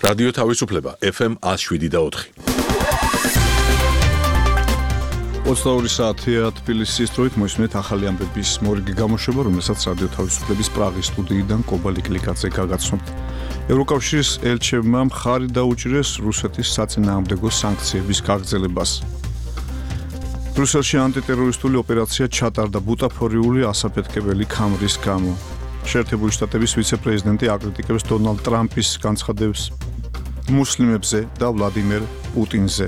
რადიო თავისუფლება FM 107.4. 22 საათია თბილისის დროით მოისმენთ ახალი ამბების მორიგი გამოშვება, რომელსაც რადიო თავისუფლების პრაღის სტუდიიდან კობა ლიკლიკაძე გაგაცნობთ. ევროკავშირის ელჩებმა მხარი დაუჭირეს რუსეთის საწინააღმდეგო სანქციების გაგრძელებას. ბრიუსელში ანტიტერორისტული ოპერაცია ჩატარდა ბუტაფორიული ასაფეთქებელი ქამრის გამო. შეერთებული შტატების ვიცე-პრეზიდენტი აკრიტიკებს დონალდ ტრამპის განცხადებს მუსლიმებზე და ვლადიმერ პუტინზე.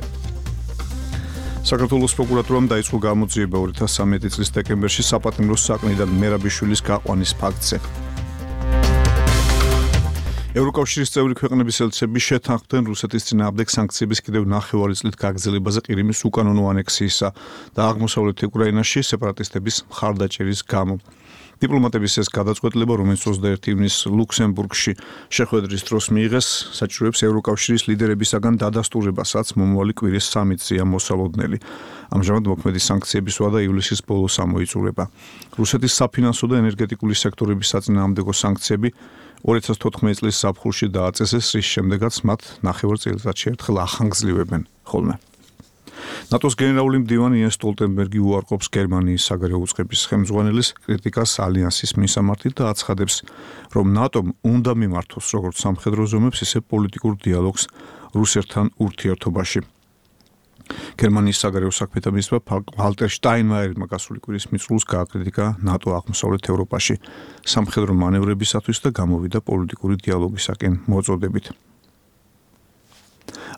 საქართველოს პროკურატურამ დაიწყო გამოძიება 2013 წლის დეკემბერში საპატიმროს საკნიდან მერაბიშვილის გაყვანის ფაქტზე. ევროკავშირის წევრი ქვეყნების ელჩები შეთანხმდნენ რუსეთის წინააღმდეგ სანქციების კიდევ ნახევარი წლით გაგრძელებაზე ყირიმის უკანონო ანექსიისა და აღმოსავლეთ უკრაინაში სეპარატისტების მხარდაჭერის გამო. დიპლომატების ეს გადაწყვეტილება, რომელიც 21 ივნისს ლუქსემბურგში შეხვედრის დროს მიიღეს, საჭიროებს ევროკავშირის ლიდერებისაგან დადასტურებასაც მომავალი კვირის სამიტზეა მოსალოდნელი. ამჟამად მოქმედი სანქციების ვადა ივლისის ბოლოს ამოიწურება. რუსეთის საფინანსო და ენერგეტიკული სექტორების საწინააღმდეგო სანქციები 2014 წლის ზაფხულში დააწესეს, რის შემდეგაც მათ ნახევარ წელიწადში ერთხელ ახანგრძლივებენ ხოლმე. ნატოს გენერალური მდივანი იენს სტოლტენბერგი უარყოფს გერმანიის საგარეო უწყების ხელმძღვანელის კრიტიკას ალიანსის მისამართით და აცხადებს, რომ ნატომ უნდა მიმართოს როგორც სამხედრო ზომებს, ისე პოლიტიკურ დიალოგს რუსეთთან ურთიერთობაში. გერმანიის საგარეო საქმეთა მინისტრმა ვალტერ შტაინმაიერმა გასული კვირის მიწურულს გააკრიტიკა ნატო აღმოსავლეთ ევროპაში სამხედრო მანევრებისათვის და გამოვიდა პოლიტიკური დიალოგისაკენ მოწოდებით.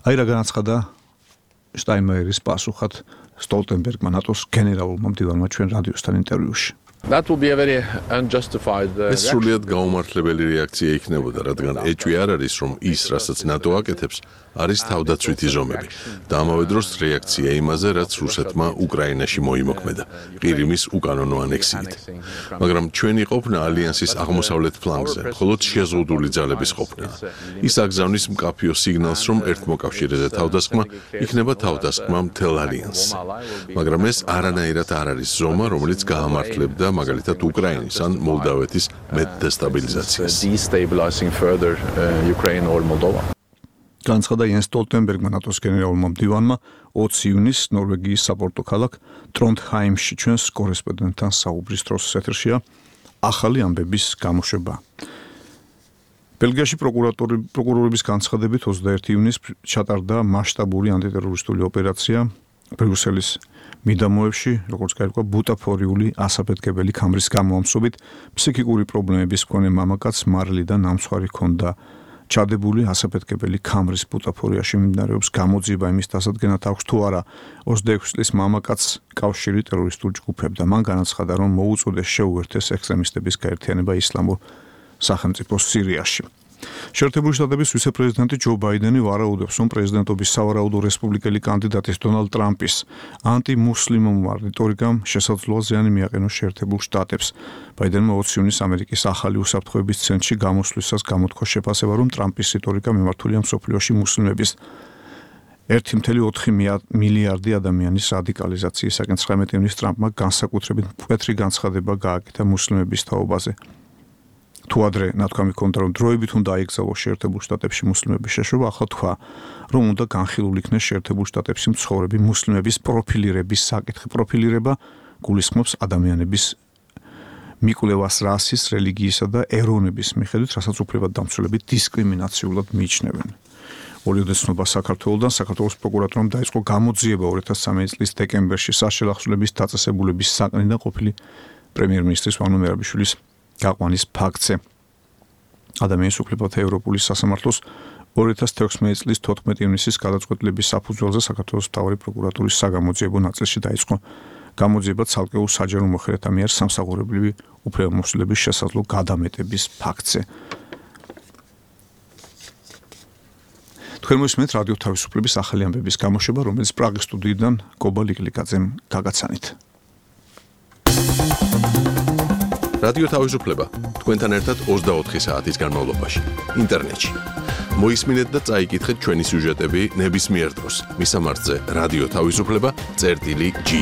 აი რა განაცხადა შტაინმაიერის პასუხად სტოლტენბერგმა ნატოს გენერალურმა მდივანმა ჩვენ რადიოსთან ინტერვიუში. That will be a very unjustified ეს სრულიად გაუმართლებელი რეაქცია იქნებოდა, რადგან ეჭვი არ არის, რომ ის, რასაც ნატო აკეთებს, არის თავდაცვითი ზომები და ამავე დროს რეაქცია იმაზე, რაც რუსეთმა უკრაინაში მოიმოქმედა ყირიმის უკანონო ანექსიით. მაგრამ ჩვენი ყოფნა ალიანსის აღმოსავლეთ ფლანგზე მხოლოდ შეზღუდული ძალების ყოფნაა. ის აგზავნის მკაფიო სიგნალს, რომ ერთმოკავშირეზე თავდასხმა იქნება თავდასხმა მთელ ალიანსზე. მაგრამ ეს არანაირად არ არის ზომა, რომელიც გაამართლებდა მაგალითად უკრაინის ან მოლდავეთის მეტდესტაბილიზაციას. განცხადა იენს სტოლტენბერგმა ნატოს გენერალურმა მდივანმა 20 ივნისს ნორვეგიის საპორტო ქალაქ ტრონდჰაიმში ჩვენს კორესპონდენტთან საუბრის დროს ეთერშია ახალი ამბების გამოშვება. ბელგიაში პროკურორების განცხადებით 21 ივნისს ჩატარდა მასშტაბური ანტიტერორისტული ოპერაცია ბრიუსელის მიდამოებში, როგორც გაირკვა, ბუტაფორიული ასაფეთქებელი ქამრის გამოამსობით ფსიქიკური პრობლემების მქონე მამაკაცს მარილი და ნამცხვარი ჰქონდა ჩადებული ასაფეთქებელი ქამრის ბუტაფორიაში მიმდინარეობს გამოძიება იმის დასადგენად აქვს თუ არა 26 წლის მამაკაცს კავშირი ტერორისტულ ჯგუფებთან. მან განაცხადა, რომ მოუწოდეს შეუერთეს ექსტრემისტების გაერთიანება ისლამურ სახელმწიფოს სირიაში. შეერთებული შტატების ვიცე-პრეზიდენტი ჯო ბაიდენი ვარაუდობს, რომ პრეზიდენტობის სავარაუდო რესპუბლიკელი კანდიდატის დონალდ ტრამპის ანტიმუსლიმურმა რიტორიკამ შესაძლოა ზიანი მიაყენოს შეერთებულ შტატებს. ბაიდენმა 20 ივნისს ამერიკის ახალი უსაფრთხოების ცენტრში გამოსვლისას გამოთქვა შეფასება, რომ ტრამპის რიტორიკა მიმართულია მსოფლიოში მუსლიმების 1.4 მილიარდი ადამიანის რადიკალიზაციისაკენ. 19 ივნისს ტრამპმა განსაკუთრებით მკვეთრი განცხადება გააკეთა მუსლიმების თაობაზე. თუ ადრე ნათქვამი ჰქონდა, რომ დროებით უნდა აიგზავნოს შეერთებულ შტატებში მუსლიმების შეშობა, ახლა თქვა, რომ უნდა განხილულ იქნეს შეერთებულ შტატებში მცხოვრები მუსლიმების პროფილირების საკითხი. პროფილირება გულისხმობს ადამიანების მიკვლევას რასის, რელიგიისა და ეროვნების მიხედვით, რასაც უფლებადდამცველები დისკრიმინაციულად მიიჩნევენ. ოლიოდე ცნობა საქართველოსთან, საქართველოს პროკურატურამ დაიწყო გამოძიება 2013 წლის დეკემბერში საშელახსოვრების დაწესებულების საკნიდან ყოფილი პრემიერ-მინისტრის ვანო მერაბიშვილის გაყვანის ფაქტზე. ადამიანის უფლებათა ევროპული სასამართლოს 2016 წლის 14 ივნისის გადაწყვეტილების საფუძველზე საქართველოს მთავარი პროკურატურის საგამოძიებო ნაწილში დაიწყო გამოძიება ცალკეულ საჯარო მოხელეთა მიერ სამსახურებრივი უფლებამოსილების შესაძლო გადამეტების ფაქტზე. თქვენ მოსმენთ რადიო თავისუფლების ახალი ამბების გამოშვება, რომელიც პრაღის სტუდიიდან კობა ლიკლიკაძემ გაგაცანით. რადიო თავისუფლება თქვენთან ერთად 24 საათის განმავლობაში ინტერნეტში. მოისმინეთ და წაიკითხეთ ჩვენი სიუჟეტები ნებისმიერ დროს. მისამართზე რადიო თავისუფლება.gi